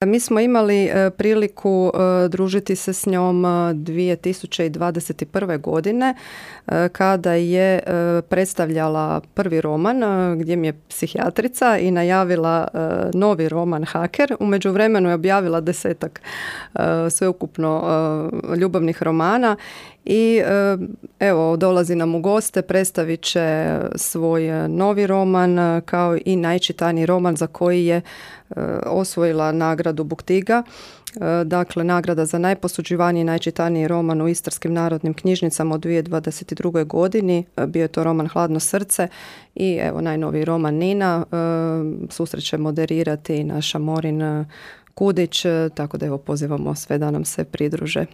Mi smo imali priliku družiti se s njom 2021. godine kada je predstavljala prvi roman gdje mi je psihijatrica i najavila novi roman Haker. U međuvremenu je objavila 10 sveukupno ljubavnih romana i evo dolazi nam u goste, predstavit će svoj novi roman kao i najčitaniji roman za koji je osvojila nagradu Buktiga, dakle nagrada za najposuđivaniji i najčitaniji roman u Istarskim narodnim knjižnicama u 2022. godini. Bio je to roman Hladno srce i evo najnoviji roman Nina. Susret će moderirati naša Morin Kudić, tako da evo pozivamo sve da nam se pridruže.